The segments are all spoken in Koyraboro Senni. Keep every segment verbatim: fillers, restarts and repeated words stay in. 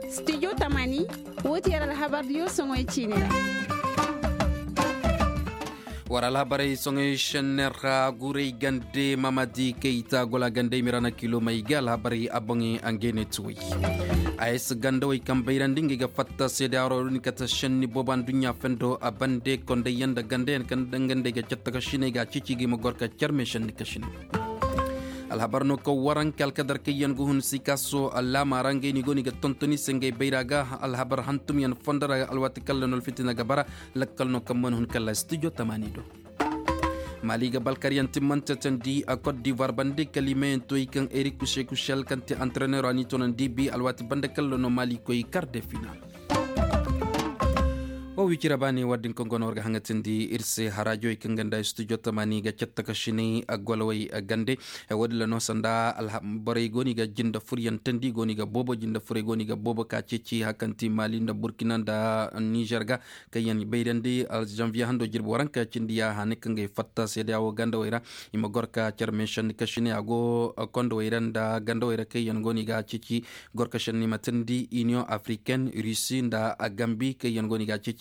Studio tamani, wo ti yer alhabar diyo soŋoy ciine ra. War alhabarey soŋoy šenner ra guray gande mamadi kay ta gola gande mirana kilo may ga alhabarey a boŋey a ngey ne tuway. A s gandawey kaŋ bayrandi ngey ga fatta seedaaro din kate šenni boobo anduɲɲa fendo a bande kondayyaŋ nda gandayaŋ kaŋ dangandey ga catta ka sinay ga a cici ga i ma gor ka carme šenni ka sinay. Alhabar no kaŋ waranka alkadar kaŋ yaŋ ga hun sikaso allaama ra ngey no i go no i ga tontoni se ngey bayra ga. Alhabar hantumyaŋ fondo ra alwaati kaŋ ra no alfitina ga bara. Lakkal no kaŋ mana hun kala studio tamaani do. Mali ga balkaryaŋ timmante tandi a kot divoir bande kala i meyaŋ toy kaŋ erik kushe kushel kaŋ te antrenero a n'i tonandi bi alwaati bande kala no mali koy kar de final. Wo wicira ba ne war din kaŋ go no war ga haŋatindi ir se harajowey kaŋ ganda studio tamaani ga catta ka sinay a golowey a gande. Wo-din ra no sanda borey go no i ga jinde furyaŋ tandi go no i ga boobo jinde furey go no i ga boobo ka ceeci hakanti mali nda burkina nda nizer ga. Kaŋ yaŋ bayrandi alzanviye hando jirbi waranka cindi ya hane kaŋ ga ay fatta seedeya wo gandawey ra. I ma gor ka care meesanni ka sinay a go kondowey ra nda gandawey ra kaŋ yaŋ go no i ga ceeci. Gor ka senni ma tindi iniyoŋ afriken rusi nda gambi kaŋ yaŋ go no i ga ceeci.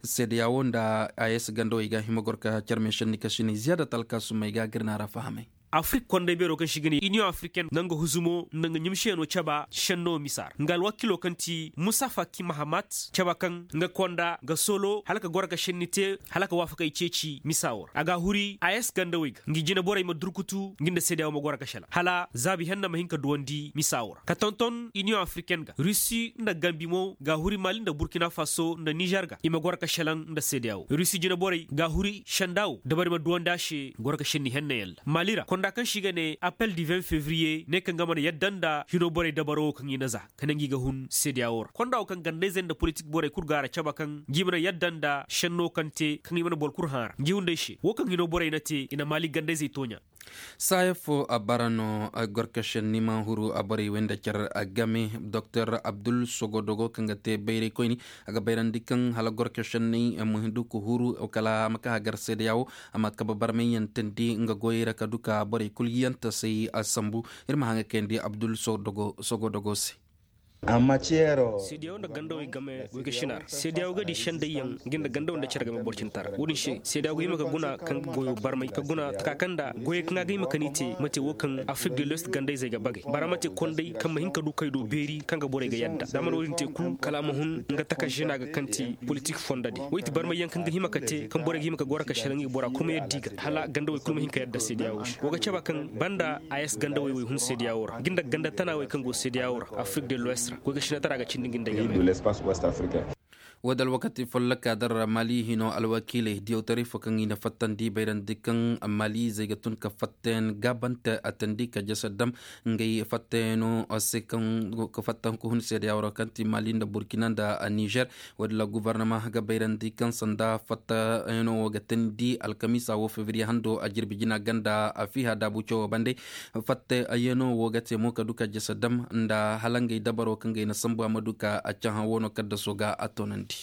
Seedeya wo nda a s gandawey ga hima gor ka care meesanni ka sinay ziyaada talka summey ga gir na ra fahamay. Afrik konday beero kaŋ se i ga ne iniyoŋ afriken nga nga huzumo nda nga ɲumsiyano caba senno misa ra nga alwakilo kaŋ ti musafa ki mahamat caba kaŋ nga konda ga solo hala ka goro ka senni te hala ka waafakey ceeci misa wo ra a ga a huri a s gandawey ga ngi jine borey ma durkutu ngi nda seedeya wo ma goro ka selaŋ hala zaabi henna ma hin ka duwandi misa wo ra ka tonton iniyoŋ afriken ga rusi nda gambi mo ga a huri mali nda burkina faso nda nizer ga i ma goro ka selaŋ nda seedeya wo rusi jine borey ga a huri senda wo dabari ma duwandi a se goro ka senni henna yalla mali ra konda kaŋ se i ga ne appel du vingt février ne kaŋ ga mana yadda nda hino borey dabaro wo kaŋ i na za ka ne ngi ga hun seedeya wo ra konda wo kaŋ gandayzey nda politik borey kul ga a ra caba kaŋ ngi mana yadda nda senno kaŋ te kaŋ i mana boro kul hã ra ngi hunday se wo kaŋ hino borey na te i na mali gandayzey tooɲa. Saaya fo a bara no gorkasen ni ma huru a borey wey nda care game doktor abdul sogodogo kaŋ ga te bayraykoyni a ga bayrandi kaŋ hala gorkasen ni ma hindu ka huru kala a ma ka hagar seedeya wo a ma kabe barmayyaŋ teendi nga goyey ra ka du ka borey kul yiyantesey a sambu. Ir ma haŋa kayandi abdul sogodogo se. Seediyaw nda gandawey game goy ga sina ra seediyaw ga di sendayyaŋ nga nda gandaw nda care game borcintara wo-din se seediyaw ga hima ka guna kaŋ ga goyo barmay ka guna taka kaŋ nda goyey kaŋ a ga hima ka ni te mate wo kaŋ afrik de lwest gandayzey ga bagay bara mate konday kaŋ ma hin ka du kay do beeri kaŋ ga borey ga yadda da mana wo-din te kul kala a ma hun nga taka žena ga kaŋ ti politik fondadi wo i ti barmayyaŋ kaŋ ga hima ka te kaŋ borey ga hima ka goro ka selaŋ i bora kul ma yadda i ga hala gandawey kul ma hin ka yadda seediyaw wo ga caba kaŋ banda a s gandawey wey hun seediyawo ra nga nda ganda tana wey kaŋ go seediyawo ra afrik de lwest ra goy ga sinatara ga cindi nga nda game. Wo da alwakati folloka dar ra mali hino alwakiiley diyawtaray fo kaŋ i na fattandi bayrandi kaŋ mali zey ga tun ka fattayan gaabante a tandi ka jasa dam ngey fattayanoo se kaŋ ga fatta hunku hun seediyawo ra kaŋ ti mali nda burkina nda nizer. Wo-din ra gubarnama ga bayrandi kaŋ sanda fattayanoo wo ga teendi alkamiisa wo febriye hando a jirbi jina ganda a fiiha daabu cawo bande. Fattayanoo wo ga te mo ka du ka jasa dam nda hala ngey dabaro kaŋ gay na sambu a ma du ka a cahã wo no kaddaso ga a toonandi.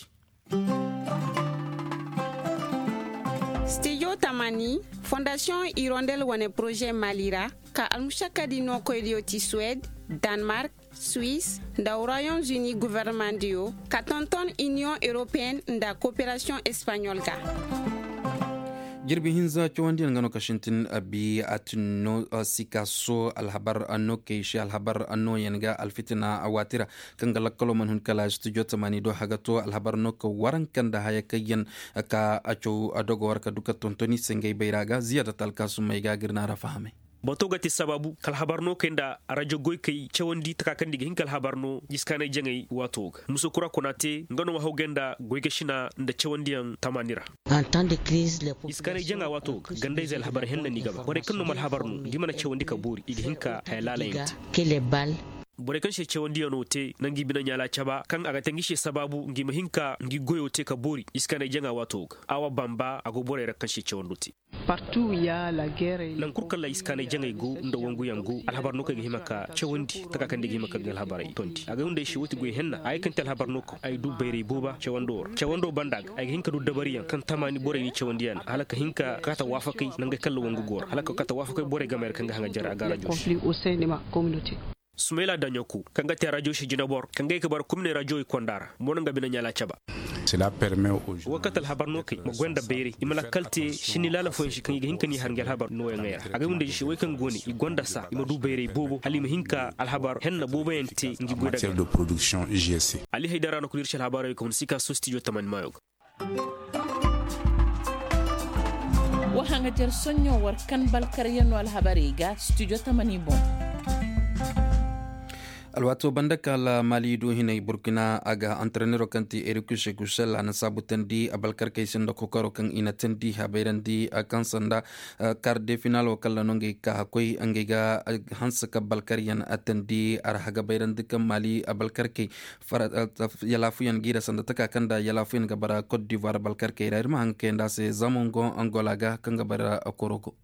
Stijo tamani fondasiyoŋ irondel wane poroze mali ra ka almušakkadi nookoydiyo ti suwed, danmark, suwis, nda royaume uni governemandiyo ka tonton iniyoŋ europeyenne nda koperasiyoŋ espaɲol ga. Jirbi hinza cawandiyaŋ nga no ka sintin abi a tun no sikaso alhabar no kay se alhabar no yaŋ ga alfitina waati ra. Kaŋ ga lakkalo mana hun kala studio tamani do haga to alhabar no ka waranka nda haya kaŋ yaŋ ka a caw dogo war ka du ka tontoni se ngey bayra ga ziyaada talkaasumey ga gir na ra fahamay. Bato ga te sabaabu ka alhabar no kay nda rajo goykey cawandi taka kaŋ nda i ga hin ka alhabar no jiskaanay jaŋay waato ga muso kura kuna te nga no ma hawgay nda goy ga sina nda cawandiyaŋ tamaani ra. Jiskaanay jaŋa waato ga gandayzey alhabar henna no i ga ba borey kaŋ no ma alhabar no nda i mana cawandi ka boori i ga hin ka haya laalayaŋ te. Borey kaŋ se cawandiyaŋo te na ngi bine ɲaala caba kaŋ a ga te ngi se sabaabu ngi ma hin ka ngi goyo te ka boori jiskaanay jaŋa waato ga awa bamba a go borey ra kaŋ se cawando te. Nan kul kala iskaanay jaŋay go nda wanguyaŋ go alhabar no kaŋ ay ga hima ka cawandi taka kaŋ day ga hima ka ga alhabarey tondi a ga hunday se wo ti goy henna a ga ay kaŋ ti alhabar no kaŋ ay du bayray booba cawando ra cawando banda ga ay ga hin ka du dabariyaŋ kaŋ tamaani borey ni cawandi yaŋ hala ka hin ka kata waafakey nangey kalla wangu go ra hala ka kata waafakey borey gamey ra kaŋ ga haŋa jare a ga rajo se. Sumayla daɲoku kaŋ ga te rajo se jinabor kaŋ ga ay ga bara kumney rajo i konda ra mo no nga bine ɲaala caba. Wo kate alhabar no kay ma goy nda bayray i ma lakkal te sinni laala fooyaŋ se kaŋ i ga hin ka n'i har ngi alhabar nooyaŋey ra a ga ay wunda se way kaŋ go ne i gonda saa i ma du bayray boobo hala i ma hin ka alhabar henna booboyaŋ te ngi goy daga. Ali haydara no kul ir se alhabarey kaŋ hun sika so stijo tamani maayo ga. Wa haŋajer soɲõ war kan balkaryanoo alhabarey ga stijo tamani boŋ. Alwaatoo banda kaŋ almaali du hinay burkina a ga antarenero kaŋ ti erikus kusel a na saabutandi a balkarkey se nda kokoro kaŋ i na tandi habayrandi kaŋ sanda kar de finalo kaŋ ra no ngey ka koy ngey ga hanse ka balkaryaŋ tandi a ra hagabayrandi kaŋ maali balkarkey yalaafuyaŋ giira sanda taka kaŋ nda yalaafuyaŋ ga bara kot divoir balkarkey ra ir ma haŋ kayandi a se zama ngo angola ga kaŋ ga bara korogo.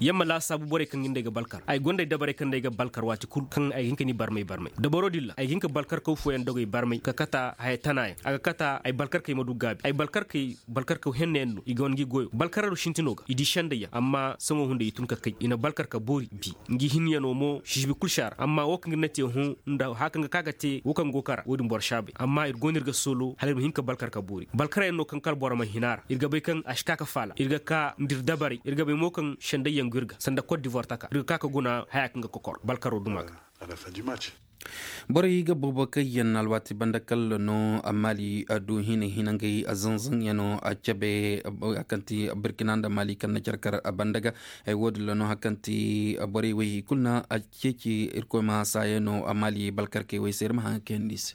Yamma laasaabu borey kaŋ ga nda ay ga balkar ay gonda ay dabarey kaŋ nda ay ga balkar waati kul kaŋ ay ga hin ka ni barmay barmay dabaro din ra ay ga hin ka balkar kaw fooyaŋ dogey barmay ka kata haya tanayaŋ a ga kata ay balkar kay ma du gaabi ay balkar kay balkar kaw hennayaŋ no i ga wane ngi goyo balkar aro sintino ga i di sendayyaŋ amma sohõ hunday i tun ka kay i na balkar ka boori bi ngi hinyanoo mo sizibi kul se a ra amma wo kaŋ ir na te hõ nda haya kaŋ ga ka ga te wo kaŋ go kara wo- din boro se a bay amma ir go no ir ga soolo hala ir ma hin ka balkar ka boori balkaryaŋ no kaŋ kala boro ma hin a ra ir ga bay kaŋ a si ka ka faala ir ga ka nda ir dabarey ir ga bay mo kaŋ sendayyaŋ go ir ga sanda kot divoir taka ir ga ka ka guna haya kaŋ ga kokor balkaro duma ga. Borey ga boobo kaŋ yaŋ alwaati banda kalla no maali du hina hina ngey zanzaŋ yaŋo cabe kaŋ ti burkina nda maali kaŋ na care kar banda ga. Wo- din ra no hari kaŋ ti borey wey i kulu na ceeci irkoy ma saayaŋ no maali balkarkey wey se ir ma haŋ kayandi i se.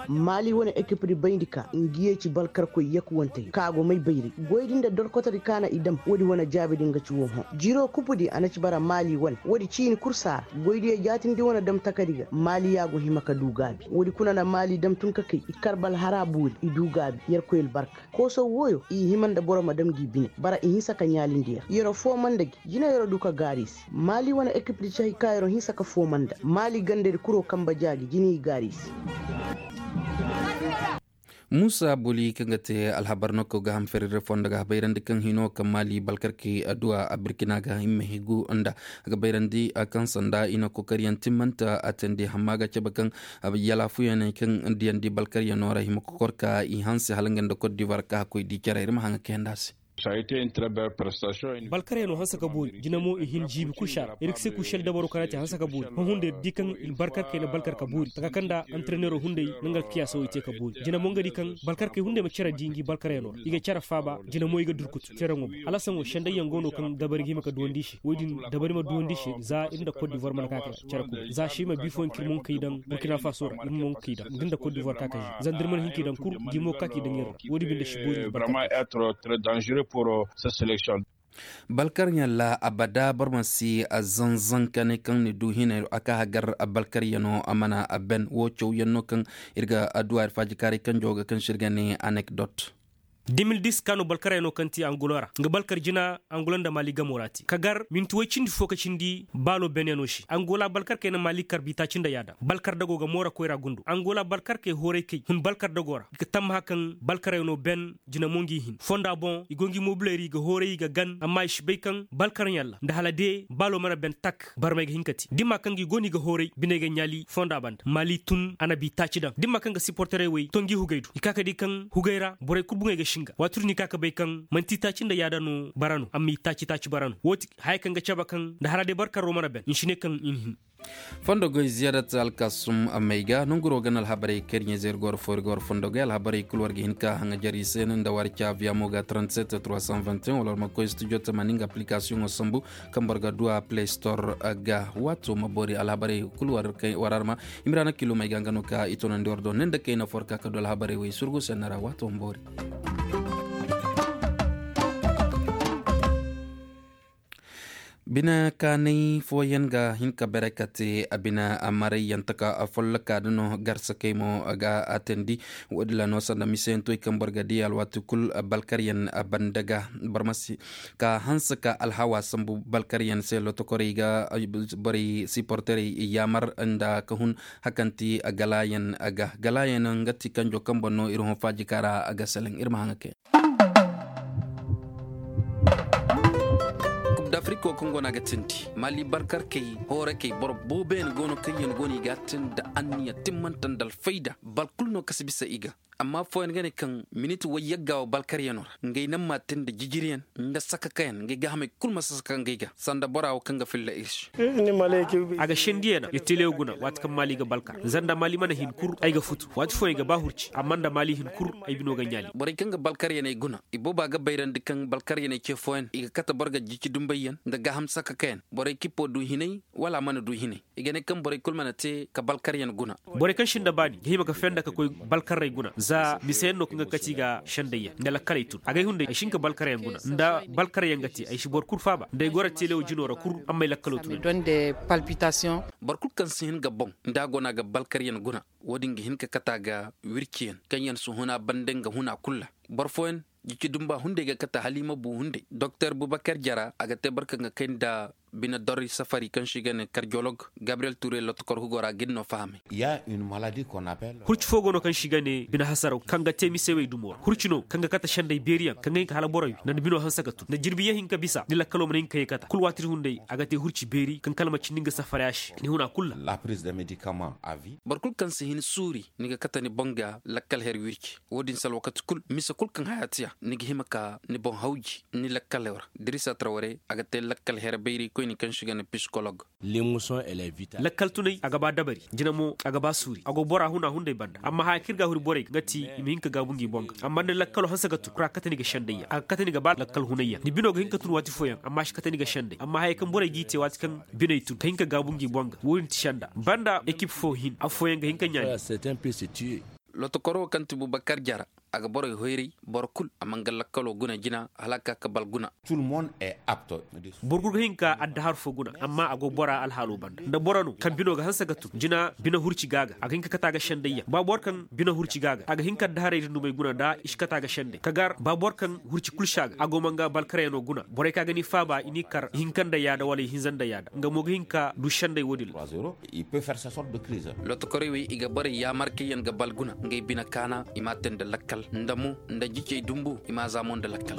Maali wane ekipdi bayndi ka ngi yee ci balkarkoy yakuwantey ka go may bayray goydi nda dorkotodi ka na i dam woodi wane jaabi din ga ci woo hõ jiro kupudi a na ci bara maali wane woodi ciini kul saara goydiyo jaatindi wane dam takadi ga maali ya go hima ka du gaabi woodi kuna na maali dam tun ka kay i karbal hara boori i du gaabi yerkoy albarka kooso wooyo i hima nda boro ma dam gi bine bara i hinsa ka ɲaalindi yer yero fooma nda gi jina yero du ka gaari i se maali wane ekipdi cahi ka yero hinsa ka fooma nda maali gandadi kuro kamba jaaji jina i gaari i se. Muusa boli kaŋ ga te alhabar no kaŋ ga ham ferere fondo ga habayrandi kaŋ hino kaŋ maali balkarkey adduwa a birkina ga himma higu nda a ga bayrandi kaŋ sanda i na kokariyaŋ timmanta a tandi hamma ga cabe kaŋ yalaafuyaney kaŋ diyandi balkaryanoo ra hima kokor ka i hanse hala nga nda kot divoir ka hakkoy di care ir ma haŋa kayandi a se. Balkarey no hanse ka boori jina mo i hin jiibi kul se a ra ir ga se kušel dabaro kaŋ a te hanse ka boori hõ hunda ir di kaŋ i balkarkey na balkar ka boori taka kaŋ nda antarenero hunday na nga alkiyaasa wo i te ka boori jina mo nga di kaŋ balkarkey hunday ma care di ngi balkarey no ra i ga care faaba jina mo i ga durkutu care ŋo boŋ hala saŋo sendayyaŋ go no kaŋ dabari ga hima ka duwandi i se woy din dabari ma duwandi i se za ir nda kot divoir mana ka ka care kul za se i ma bi fooyaŋ kaŋ ir mo nga kay daŋ burkina faso ra ir mo nga kay daŋ da ir nda kot divoir ka ka zanda ir mana hin kay daŋ kul ngi mo ga ka kay daŋ ir ra wo- din binde si boori. Balkaryaŋ ra abada boro ma si a zanzan ka ne kaŋ ni du hinay a ka hagar balkaryaŋo a mana a ben wo cawyaŋ no kaŋ ir ga adduwa ir faajikaaray kanjo ga kaŋ se ir ga ne anekdot. Dimil dis ka no balkaryaŋo kaŋ ti angulo ra nga balkar jina angulo nda maali gamo ra te ka gar minti woy cindi fo ka cindi baalo benyaŋo se angola balkarkey na maali kar biitaaci nda yaadaŋ balkar dago ga moora koyra gundo angola balkarkey hooray kay hun balkar dago ra i ga tammaha kaŋ balkaryaŋo ben jina mo ngi hin fonda boŋ i go ngi mobiley ra i ga hooray i ga gan amma i si bay kaŋ balkaryaŋ ra nda hala de baalo mana ben tak barmey ga hin ka te da i ma kaŋ ga i go no i ga hooray biney ga ɲaali fonda banda maali tun a na bi taaci daŋ da i ma kaŋ ga siporterey wey to ngi hugey do i ka ka di kaŋ hugey ra borey kul buŋey ga singa waati kul no i ka ka bay kaŋ manti taaci nda yaada no bara no amma i taaci taaci bara no wo- ti haya kaŋ ga cabe kaŋ nda hala day barkarro mana ben i si ne kaŋ i na hin. Fondo goy ziyadat alkasum may ga nonguro gana alhabarey kariɲe zey ir go war fo ir go war fondo goy alhabarey kul war ga hin ka haŋajer i se no nda war caabiya mo ga trente-sept trois cent vingt et un wala war ma koy studio tamanin ga application sambu kaŋ boro ga duwa play store ga waato ma boori alhabarey kul war arma. Imrana kilo may ga nga no ka i tonandi war do ne nda kayna fo war ka ka du alhabarey wey surgu senna ra waato ma boori. Bine kaanay fooyaŋ ga hin ka bare ka te a bine a marayyaŋ taka folloka da no garsakey mo ga a teendi. Woodin ra no sanda miseyaŋ toy kaŋ boro ga di alwaati kul balkaryaŋ banda ga boro ma si ka hanse ka alhawa sambu balkaryaŋ se lotokorey ga borey siporterey yaamar nda ka hun hakanti galaayaŋ ga galaayaŋ nga ti kanjo kaŋ boŋ no ir hõ faajika ra a ga seleŋ ir ma haŋa kay. Kub d'afiriko kaŋ go no a ga tindi maali balkarkey hoorakey boro booboyaŋ go no kaŋ yaŋ go no i ga a tindi anniya timmanta nda alfayda boro kulu no ka si bisa i ga. Amma affooyaŋ ga ne kaŋ miniti wayyagga wo balkaryaŋo ra ngey naŋ ma a tindi jijiriyaŋ nda sakakayaŋ ngey gaahamey kulu ma si saka ngey ga sanda bora wo kaŋ ga filla ir se. A ga sendiyaŋ na ya telewo guna waati kaŋ maali ga balkar zanda maali mana hin kul ay ga futu waati fooyaŋ ay ga ba hurci amma nda maali hin kul ay bino ga ɲaali borey kaŋ ga balkaryaney guna ibooba ga bayrandi kaŋ balkaryaney ce fooyaŋ i ga kate boro ga jici dumbayyaŋ nda gaaham sakakayaŋ borey kippo du hinay wala a mana du hinay i ga ne kaŋ borey kul mana te ka balkaryaŋ guna. Borey kaŋ sinda baani ga hima ka fenda ka koy balkarrey guna za miseyaŋ no kaŋ ga kati ga sendayyaŋ nda lakkaley tun agay hunday ay si hin ka balkaryaŋ guna nda balkaryaŋ ga te ay si boro kul faaba nda ay goro telewo jino ra kul amma ay lakkalo tun. Boro kul kaŋ si hin ga boŋ nda a go no a ga balkaryaŋ guna wo-din ga hin ka kate a ga wirciyaŋ kaŋ yaŋ si huna banda nga huna kul ra. Boro fooyaŋ jici dumba hunday ga kate hala i ma bu hunday doktor bubakar jara a ga te boro kaŋ ga kay nda bine dorri safari kaŋ se i ga ne karjolog gabriyel ture lotokor hugo ra ga ni no fahamay. Hurci fo go no kaŋ se i ga ne bine hasaraw kaŋ ga te misewey dumo ra hurci no kaŋ ga kate senday beeriyaŋ kaŋ ga hin ka hala boro wi nda ni bino hanse ga tun nda jirbi yaŋ hin ka bisa ni lakkalo mana hin ka ye kate kul waati hunday a ga te hurci beeri kaŋ kala ma cindi nga safara ya se ni huna kul ra. Boro kul kaŋ si hin suuri ni ga kate ni boŋ ga lakkal her wirci wo-din se alwakati kul mise kul kaŋ haya ti a ni ga hima ka ni boŋ hawji ni lakkalo ra. Dirisa tara ware a ga te lakkal her bayrikoyni kaŋ se i ga ne pisikolog. Lakkal tunay a ga ba dabari jina mo a ga ba suuri a go bora huna hunday banda amma haya kaŋ ir ga a huri borey ga nga ti i ma hin ka gaabu ngi boŋ ga amma ni lakkalo hanse ga tun kura kate ni ga sendayyaŋ a ga kate ni ga ba lakkal hunayyaŋ ni bino ga hin ka tun waati fooyaŋ amma a si kate ni ga senday amma haya kaŋ borey g'i te waati kaŋ biney tun ka hin ka gaabu ngi boŋ ga wo-din ti senda banda ekip fo hin affooyaŋ ga hin ka ɲaani. Lotokoro wo kaŋ ti bubakar jara a ga borey hoyray boro kul a man ga lakkalo guna jina hala a ka ka bal guna. Boro kul ga hin ka addahar fo guna amma a go bora alhaalo banda nda boro no kaŋ bino ga hanse ga tun jina bine hurci ga a ga a ga hin ka kate a ga sendayyaŋ ba boro kaŋ bine hurci ga a ga a ga hin ka addaharey din dumey guna nda i si kate a ga sendey ka gar ba boro kaŋ hurci kul se a ga a go ma nga balkaryaŋo guna borey kaŋ a ga ni faaba i n'i kar ihinka nda yaada wala ihinza nda yaada nga mo ga hin ka du sendey wo-din ra. Lotokorey wey i ga borey yaamar kaŋ yaŋ ga bal guna ngey bine kaana i m'a te nda lakkal nda mo nda jicey dumbu i m'a za mo nda lakkal.